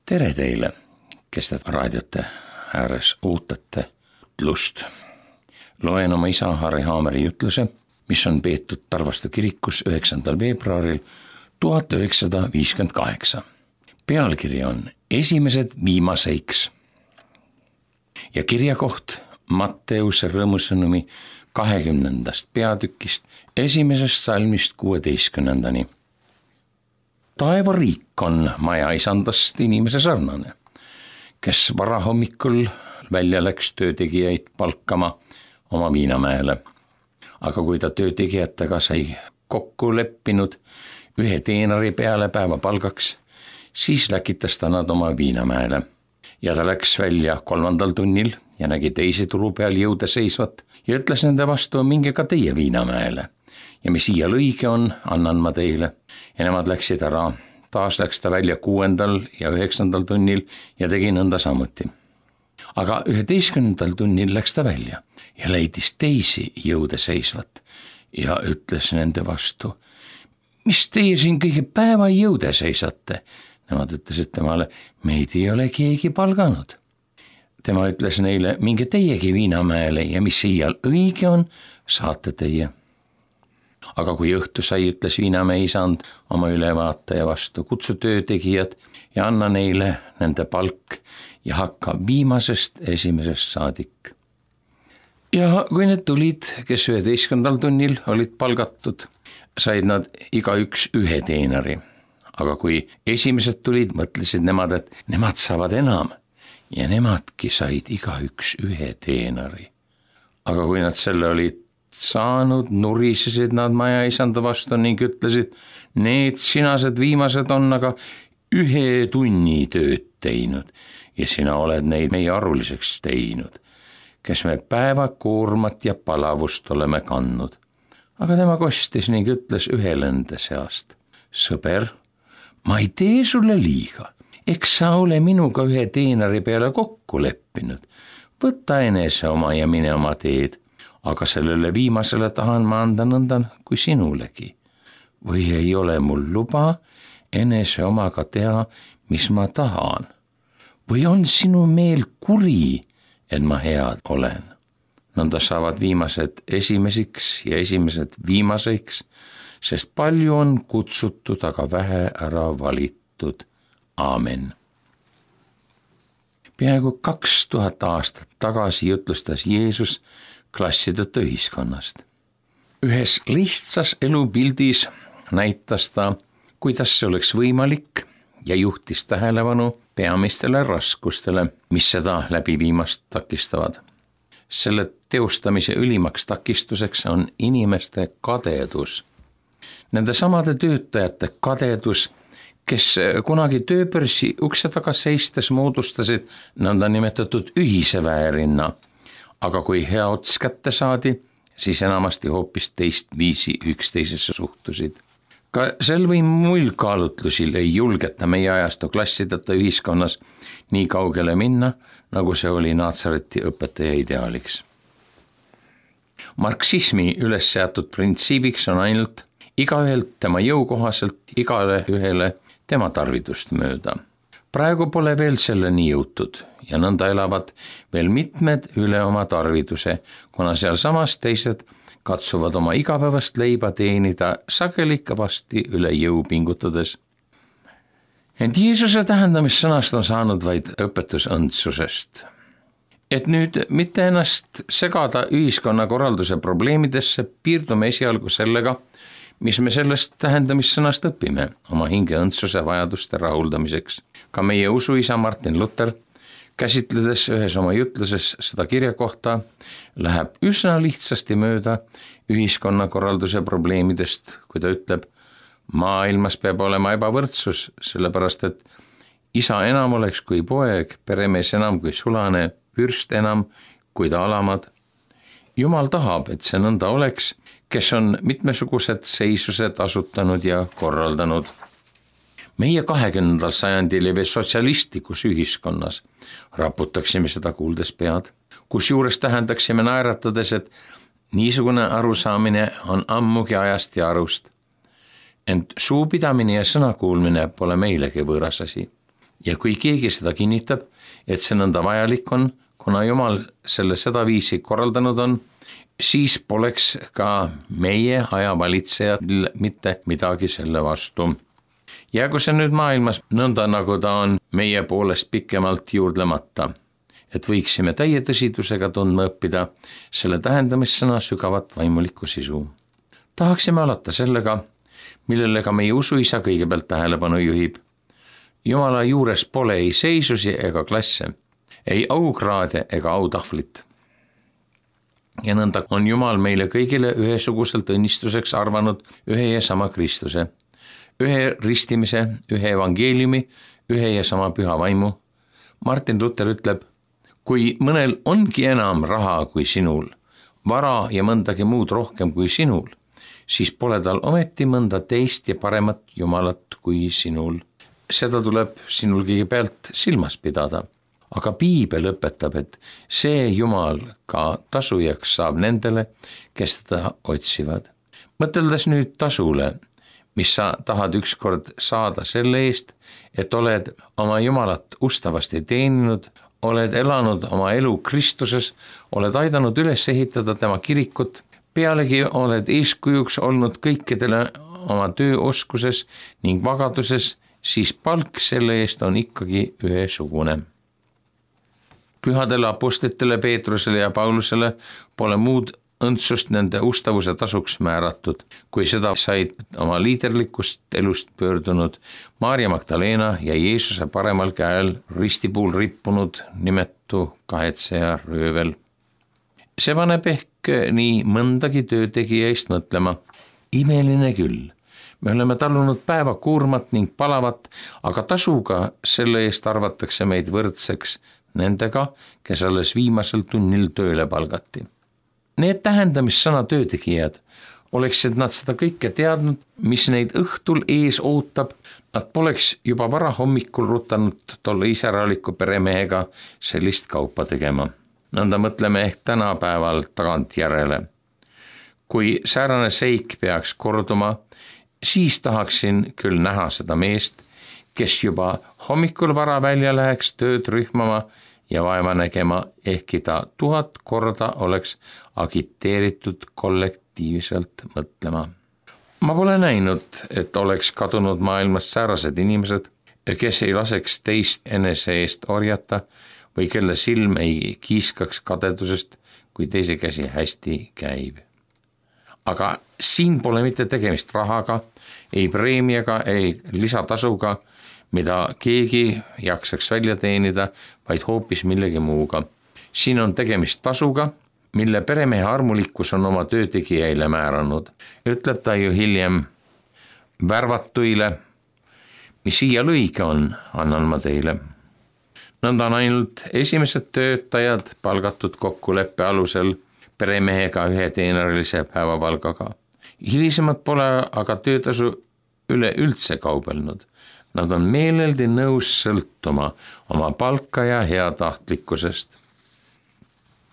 Tere teile, kes te raadiote ääres ootate jutlust. Loen oma isa Harri Haameri jutluse, mis on peetud Tarvastu kirikus 9. veebruaril 1958. Pealkiri on Esimesed viimaseiks ja kirjakoht Matteuse rõõmusõnumi 20. peatükist 1. salmist 16. Taevariik on maja isandast inimese sarnane, kes varahommikul välja läks töötegijaid palkama oma Viinamäele. Aga kui ta töötegijatega sai kokku leppinud ühe teenari peale päevapalgaks, siis läkitas ta nad oma Viinamäele. Ja ta läks välja 3. tunnil ja nägi teise turu peal jõude seisvat ja ütles nende vastu, minge ka teie Viinamäele. Ja mis iial õige on, annan ma teile. Ja nemad läksid ära. Taas läks ta välja 6. ja 9. tunnil ja tegi nõnda samuti. Aga 11. tunnil läks ta välja ja leidis teisi jõude seisvat ja ütles nende vastu, mis teie siin kõige päeva jõude seisate? Nemad ütlesid temale, meid ei ole keegi palganud. Tema ütles neile, minge teiegi Viinamäele ja mis iial õige on, saate teie. Aga kui õhtu sai, ütles Viinamäe isand oma ülevaataja vastu, kutsu töötegijad ja anna neile nende palk ja hakka viimasest esimesest saadik. Ja kui need tulid, kes 11. tunnil olid palgatud, said nad igaüks ühe teenari. Aga kui esimesed tulid, mõtlesid nemad, et nemad saavad enam ja nemadki said igaüks ühe teenari. Aga kui nad selle olid saanud, nurisesid nad maja isanda vastu ning ütlesid, need sinased viimased on aga 1 tunni tööd teinud ja sina oled neid meie aruliseks teinud, kes me päevakoormat ja palavust oleme kandnud. Aga tema kostis ning ütles ühele nende seast, sõber, ma ei tee sulle liiga, eks sa ole minuga 1 teenari peale kokku leppinud, võta enese oma ja mine oma teed. Aga sellele viimasele tahan ma anda nõnda kui sinulegi. Või ei ole mul luba enese omaga teha, mis ma tahan? Või on sinu meel kuri, et ma head olen? Nõnda saavad viimased esimesiks ja esimesed viimaseiks, sest palju on kutsutud, aga vähe ära valitud. Aamen. Peaaegu 2000 aastat tagasi jutlustas Jeesus klassideta ühiskonnast. Ühes lihtsas elupildis näitas ta, kuidas see oleks võimalik ja juhtis tähelepanu peamistele raskustele, mis seda läbiviimast takistavad. Selle teostamise ülimaks takistuseks on inimeste kadedus. Nende samade töötajate kadedus, kes kunagi tööbörsi ukse taga seistes moodustasid nõnda nimetatud ühise väärinna, aga kui hea ots kätte saadi, siis enamasti hoopis teist viisi üksteisesse suhtusid. Ka sel või muil kaalutlusil ei julgeta meie ajastu klassideta ühiskonnas nii kaugele minna, nagu see oli Naatsareti õpetaja ideaaliks. Marksismi üles seatud printsiibiks on ainult igaühelt tema jõukohaselt, igale ühele tema tarvidust mööda. Praegu pole veel selleni jõutud ja nõnda elavad veel mitmed üle oma tarviduse, kuna sealsamas teised katsuvad oma igapäevast leiba teenida sageli kõvasti üle jõu pingutades. Ent Jeesuse tähendamissõnast on saanud vaid õpetus õndsusest. Et nüüd mitte ennast segada ühiskonnakorralduse probleemidesse, piirdume esialgu sellega, mis me sellest tähendamissõnast õpime oma hinge õndsuse vajaduste rahuldamiseks. Ka meie usuisa Martin Luther, käsitledes ühes oma jutluses seda kirjakohta, läheb üsna lihtsasti mööda ühiskonnakorralduse probleemidest, kui ta ütleb, maailmas peab olema ebavõrdsus, sellepärast et isa enam oleks kui poeg, peremees enam kui sulane, vürst enam kui ta alamad. Jumal tahab, et see nõnda oleks, kes on mitmesugused seisused asutanud ja korraldanud. Meie 20. sajandil ja sotsialistlikus ühiskonnas raputaksime seda kuuldes pead, kusjuures tähendaksime naeratades, et niisugune arusaamine on ammugi ajast ja arust. Ent suupidamine ja sõnakuulmine pole meilegi võõras asi. ja kui keegi seda kinnitab, et see nõnda vajalik on, kuna Jumal selle sedaviisi korraldanud on, siis poleks ka meie aja valitsejad mitte midagi selle vastu. Jäägu see nüüd maailmas nõnda, nagu ta on meie poolest pikemalt juurdlemata, et võiksime täie tõsidusega tundma õppida selle tähendamissõna sügavat vaimulikku sisu. Tahaksime alata sellega, millele ka meie usuisa kõigepealt tähelepanu juhib. Jumala juures pole ei seisusi ega klasse, ei aukraade ega autahvlit. Ja nõnda on Jumal meile kõigile ühesuguselt õnnistuseks arvanud ühe ja sama Kristuse, ühe ristimise, ühe evangeeliumi, ühe ja sama püha vaimu. Martin Luther ütleb, kui mõnel ongi enam raha kui sinul, vara ja mõndagi muud rohkem kui sinul, siis pole tal ometi mõnda teist ja paremat Jumalat kui sinul. Seda tuleb sinul kõigepealt silmas pidada. Aga piibel õpetab, et see Jumal ka tasujaks saab nendele, kes teda otsivad. Mõteldes nüüd tasule, mis sa tahad ükskord saada selle eest, et oled oma Jumalat ustavasti teeninud, oled elanud oma elu Kristuses, oled aidanud üles ehitada tema kirikut, pealegi oled eeskujuks olnud kõikidele oma tööoskuses ning vagaduses, siis palk selle eest on ikkagi ühesugune. Pühadele apostlitele Peetrusele ja Paulusele pole muud õndsust nende ustavuse tasuks määratud, kui seda said oma liiderlikust elust pöördunud Maarja Magdalena ja Jeesuse paremal käel ristipuul rippunud nimetu kahetseja röövel. See paneb ehk nii mõndagi töötegija eest mõtlema. Imeline küll, me oleme talunud päeva kuurmat ning palavat, aga tasuga selle eest arvatakse meid võrdseks nendega, kes alles viimasel tunnil tööle palgati. Need tähendamissõna töötegijad, oleksid nad seda kõike teadnud, mis neid õhtul ees ootab, nad poleks juba vara hommikul rutanud tolle iseäraliku peremehega sellist kaupa tegema. Nõnda mõtleme ehk tänapäeval tagantjärele. Kui säärane seik peaks korduma, siis tahaksin küll näha seda meest, kes juba hommikul vara välja läheks tööd rühmama ja vaeva nägema, ehkki ta 1000 korda oleks agiteeritud kollektiivselt mõtlema. Ma pole näinud, et oleks kadunud maailmast säärased inimesed, kes ei laseks teist enese eest orjata või kelle silm ei kiiskaks kadedusest, kui teise käsi hästi käib. Aga siin pole mitte tegemist rahaga, ei preemiaga, ei lisatasuga, mida keegi jaksaks välja teenida, vaid hoopis millegi muuga. Siin on tegemist tasuga, mille peremehe armulikkus on oma töötegijaile määranud. Ütleb ta ju hiljem, värvatuile, mis siia lõige on, annan ma teile. Nõnda on ainult esimesed töötajad palgatud kokkuleppe alusel peremehega ühe teenerilise päevapalgaga. Hilisemad pole aga töötasu üleüldse kaubelnud. Nad on meeleldi nõus sõltuma oma palka ja heatahtlikkusest.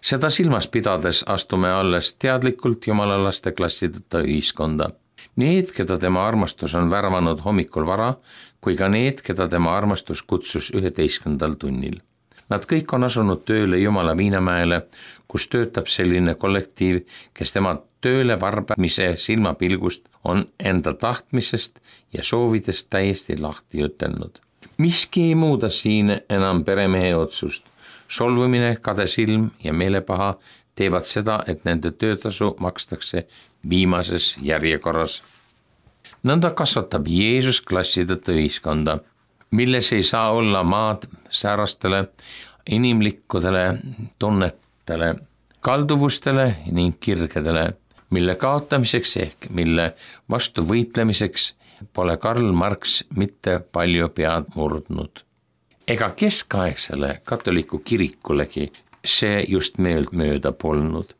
Seda silmas pidades astume alles teadlikult jumalalaste klassideta ühiskonda. Need, keda tema armastus on värvanud hommikul vara, kui ka need, keda tema armastus kutsus 11. tunnil. Nad kõik on asunud tööle Jumala Viinamäele, kus töötab selline kollektiiv, kes tema tööle varbamise silmapilgust on enda tahtmisest ja soovidest täiesti lahti ütelnud. Miski ei muuda siin enam peremehe otsust. Solvumine, kadesilm ja meelepaha teevad seda, et nende töötasu makstakse viimases järjekorras. Nõnda kasvatab Jeesus klassideta ühiskonda, milles ei saa olla maad säärastele inimlikudele tunnetele, kalduvustele ning kirgedele, mille kaotamiseks ehk mille vastu võitlemiseks pole Karl Marx mitte palju pead murdnud. Ega keskaegsele katoliku kirikulegi see just mööda polnud.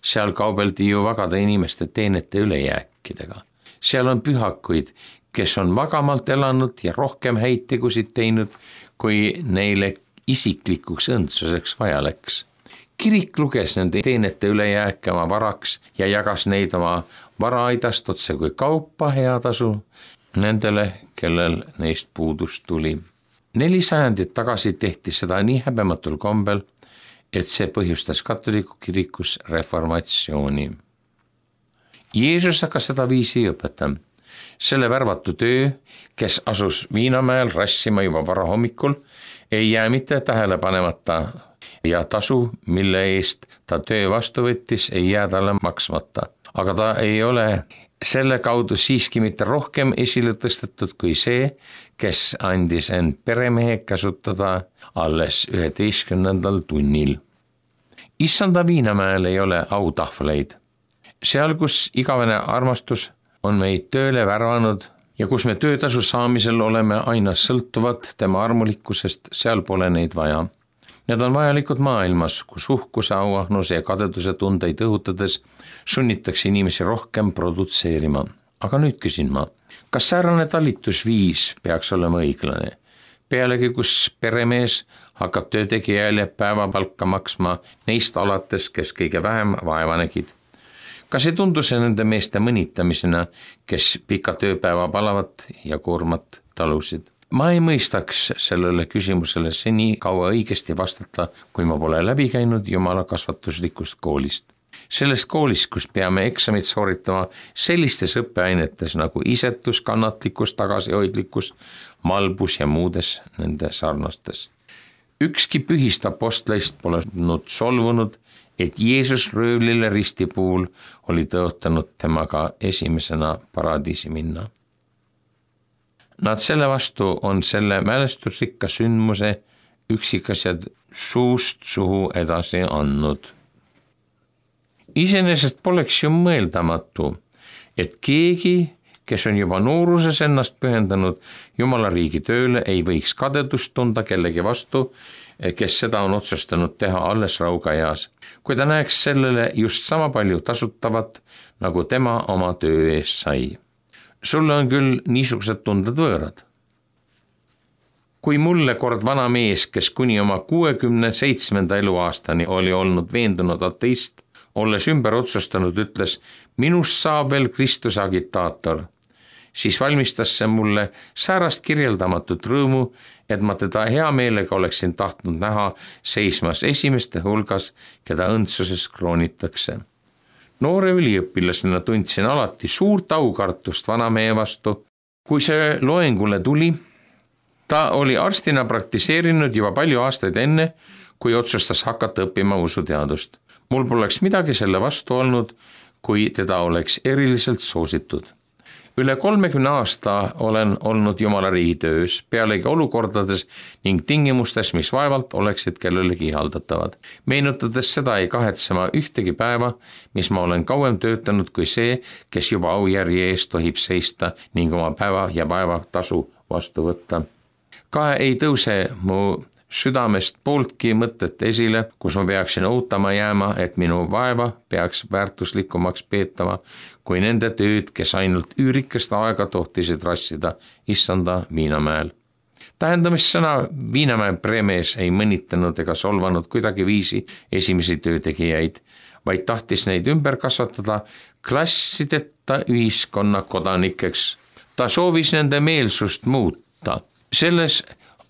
Seal kaubeldi ju vagade inimeste teenete ülejääkidega. Seal on pühakuid, kes on vagamalt elanud ja rohkem häid tegusid teinud, kui neile isiklikuks õndsuseks vaja läks. Kirik luges nende teenete ülejääke oma varaks ja jagas neid oma varaaidast otse kui kaupa heatasu nendele, kellel neist puudus tuli. 4 sajandit tagasi tehti seda nii häbematul kombel, et see põhjustas katoliku kirikus reformatsiooni. Jeesus aga seda viisi ei õpeta. Selle värvatu töö, kes asus Viinamäel rassima juba varahommikul, ei jää mitte tähele panemata ja tasu, mille eest ta töö vastu võttis, ei jää talle maksmata. Aga ta ei ole selle kaudu siiski mitte rohkem esile tõstetud kui see, kes andis end peremehe käsutada alles 11. tunnil. Issanda Viinamäel ei ole autahvleid. Seal, kus igavene armastus on meid tööle värvanud ja kus me töötasu saamisel oleme aina sõltuvad tema armulikkusest, seal pole neid vaja. Need on vajalikud maailmas, kus uhkuse, auahnuse ja kadeduse tundeid õhutades sunnitakse inimesi rohkem produtseerima. Aga nüüd küsin ma, kas säärane talitusviis peaks olema õiglane? Pealegi, kus peremees hakkab töötegijale päevapalka maksma neist alates, kes kõige vähem vaeva nägid. Kas ei tundu see nende meeste mõnitamisena, kes pika tööpäeva palavat ja koormat talusid? Ma ei mõistaks sellele küsimusele seni kaua õigesti vastata, kui ma pole läbi käinud Jumala kasvatuslikust koolist. Sellest koolist, kus peame eksamid sooritama sellistes õppeainetes nagu isetus, kannatlikkus, tagasihoidlikkus, malbus ja muudes nende sarnastes. Ükski pühist apostleist pole solvunud, et Jeesus röövlile risti puhul oli tõotanud temaga esimesena paradiisi minna. Nad selle vastu on selle mälestusrikka sündmuse üksikasjad suust suhu edasi andnud. Iseenesest poleks ju mõeldamatu, et keegi, kes on juba nooruses ennast pühendanud Jumala riigi tööle, ei võiks kadedust tunda kellegi vastu, kes seda on otsustanud teha alles raugaeas, kui ta näeks sellele just sama palju tasutavat, nagu tema oma töö eest sai. Sulle on küll niisugused tunded võõrad. Kui mulle kord vana mees, kes kuni oma 67. eluaastani oli olnud veendunud ateist, olles ümber otsustanud, ütles, minust saab veel Kristuse agitaator, siis valmistas see mulle säärast kirjeldamatut rõõmu, et ma teda hea meelega oleksin tahtnud näha seismas esimeste hulgas, keda õndsuses kroonitakse. Noore üliõpilasena tundsin alati suurt aukartust vanamehe vastu. Kui see loengule tuli, ta oli arstina praktiseerinud juba palju aastaid enne, kui otsustas hakata õppima usuteadust. Mul poleks midagi selle vastu olnud, kui teda oleks eriliselt soositud. Üle 30 aasta olen olnud Jumala riigi töös, pealegi olukordades ning tingimustes, mis vaevalt oleksid kellelegi haldatavad. Meenutades seda ei kahetse ma ühtegi päeva, mis ma olen kauem töötanud kui see, kes juba aujärje eest tohib seista ning oma päeva ja vaeva tasu vastu võtta. Ka ei tõuse mu südamest pooltki mõtet esile, kus ma peaksin ootama jääma, et minu vaeva peaks väärtuslikumaks peetama kui nende tööd, kes ainult üürikest aega tohtisid rassida Issanda Viinamäel. Tähendamissõna Viinamäe premees ei mõnitanud ega solvanud kuidagi viisi esimesi töötegijaid, vaid tahtis neid ümber kasvatada klassideta ühiskonna kodanikeks. Ta soovis nende meelsust muuta. Selles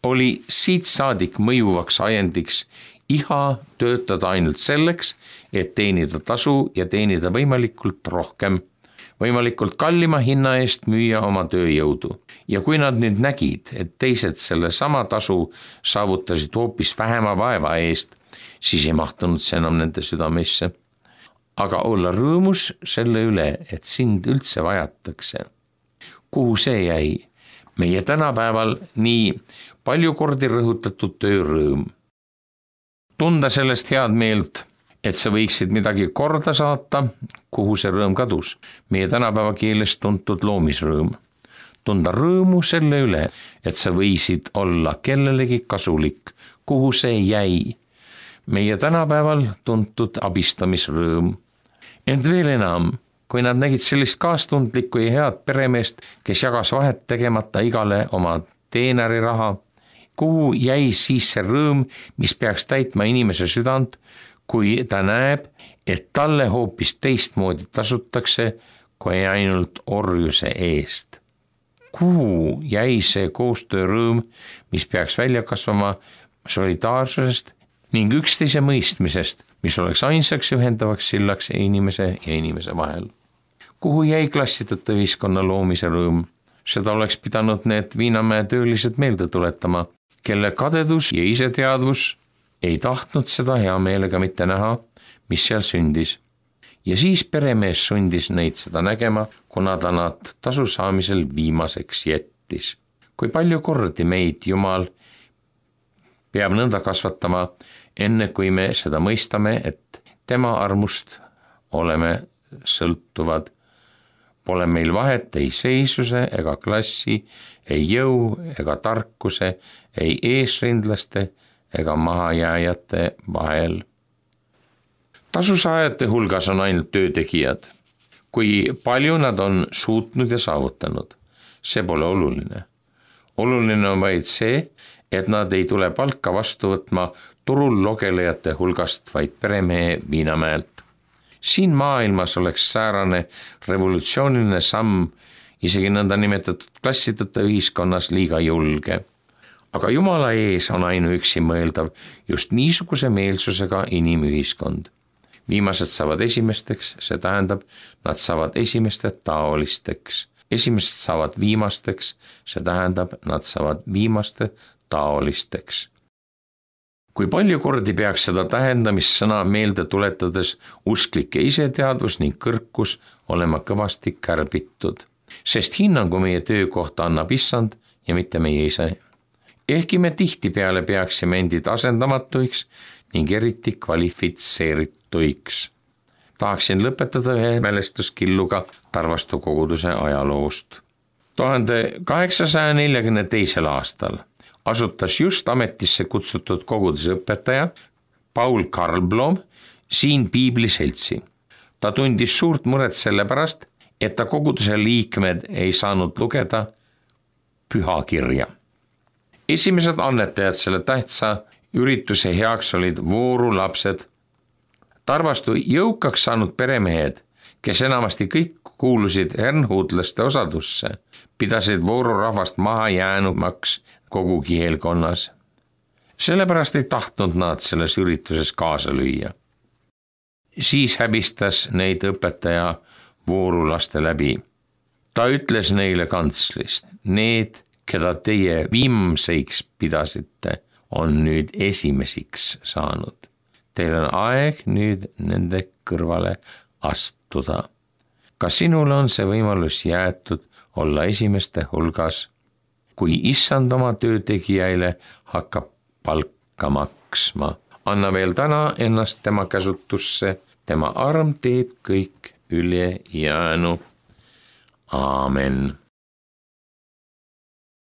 oli siit saadik mõjuvaks ajendiks iha töötada ainult selleks, et teenida tasu ja teenida võimalikult rohkem, võimalikult kallima hinna eest müüa oma tööjõudu. Ja kui nad nüüd nägid, et teised selle sama tasu saavutasid hoopis vähema vaeva eest, siis ei mahtunud see enam nende südamesse. Aga olla rõõmus selle üle, et sind üldse vajatakse. Kuhu see jäi? Meie tänapäeval nii palju kordi rõhutatud töörõõm. Tunda sellest head meelt, et sa võiksid midagi korda saata, kuhu see rõõm kadus. Meie tänapäeva keeles tuntud loomisrõõm. Tunda rõõmu selle üle, et sa võisid olla kellelegi kasulik, kuhu see jäi. Meie tänapäeval tuntud abistamisrõõm. Ent veel enam, kui nad nägid sellist kaastundlikku ja head peremeest, kes jagas vahet tegemata igale oma teenari raha, kuhu jäi siis see rõõm, mis peaks täitma inimese südant, kui ta näeb, et talle hoopis teistmoodi tasutakse kui ainult orjuse eest. Kuhu jäi see koostöörõõm, mis peaks välja kasvama solidaarsusest ning üksteise mõistmisest, mis oleks ainsaks ühendavaks sillaks inimese ja inimese vahel? Kuhu jäi klassiteta ühiskonna loomise rõõm? Seda oleks pidanud need Viinamäe töölised meelde tuletama, kelle kadedus ja iseteadvus ei tahtnud seda hea meelega mitte näha, mis seal sündis. Ja siis peremees sundis neid seda nägema, kuna ta nad tasu saamisel viimaseks jättis. Kui palju kordi meid Jumal peab nõnda kasvatama, enne kui me seda mõistame, et tema armust oleme sõltuvad. Pole meil vahet ei seisuse ega klassi, ei jõu ega tarkuse, ei eesrindlaste ega mahajääjate vahel. Tasusaajate hulgas on ainult töötegijad. Kui palju nad on suutnud ja saavutanud, see pole oluline. Oluline on vaid see, et nad ei tule palka vastu võtma turul logelejate hulgast, vaid peremehe Viinamäelt. Siin maailmas oleks säärane revolutsiooniline samm isegi nõnda nimetatud klassiteta ühiskonnas liiga julge. Aga Jumala ees on ainuüksi mõeldav just niisuguse meelsusega inimühiskond. Viimased saavad esimesteks, see tähendab, nad saavad esimeste taolisteks. Esimesed saavad viimasteks, see tähendab, nad saavad viimaste taolisteks. Kui palju kordi peaks seda tähendamissõna meelde tuletades usklike iseteadvus ning kõrkus olema kõvasti kärbitud, sest hinnangu meie töökohta annab Issand ja mitte meie ise. Ehkki me tihtipeale peaksime endid asendamatuiks ning eriti kvalifitseerituiks. Tahaksin lõpetada ühe mälestuskilluga Tarvastu koguduse ajaloost. 1842. aastal asutas just ametisse kutsutud koguduse õpetaja Paul Karlblom siin piibliseltsi. Ta tundis suurt muret selle pärast, et ta koguduse liikmed ei saanud lugeda pühakirja. Esimesed annetajad selle tähtsa ürituse heaks olid voorulapsed. Tarvastu jõukaks saanud peremehed, kes enamasti kõik kuulusid hernhuudlaste osadusse, pidasid voorurahvast maha jäänumaks kogu kihelkonnas. Sellepärast ei tahtnud nad selles ürituses kaasa lüüa. Siis häbistas neid õpetaja voorulaste läbi. Ta ütles neile kantslist, need, keda teie viimseiks pidasite, on nüüd esimesiks saanud. Teil on aeg nüüd nende kõrvale astuda. Ka sinule on see võimalus jäetud olla esimeste hulgas, kui Issand oma töötegijaile hakkab palka maksma. Anna veel täna ennast tema käsutusse, tema arm teeb kõik ülejäänu. Aamen.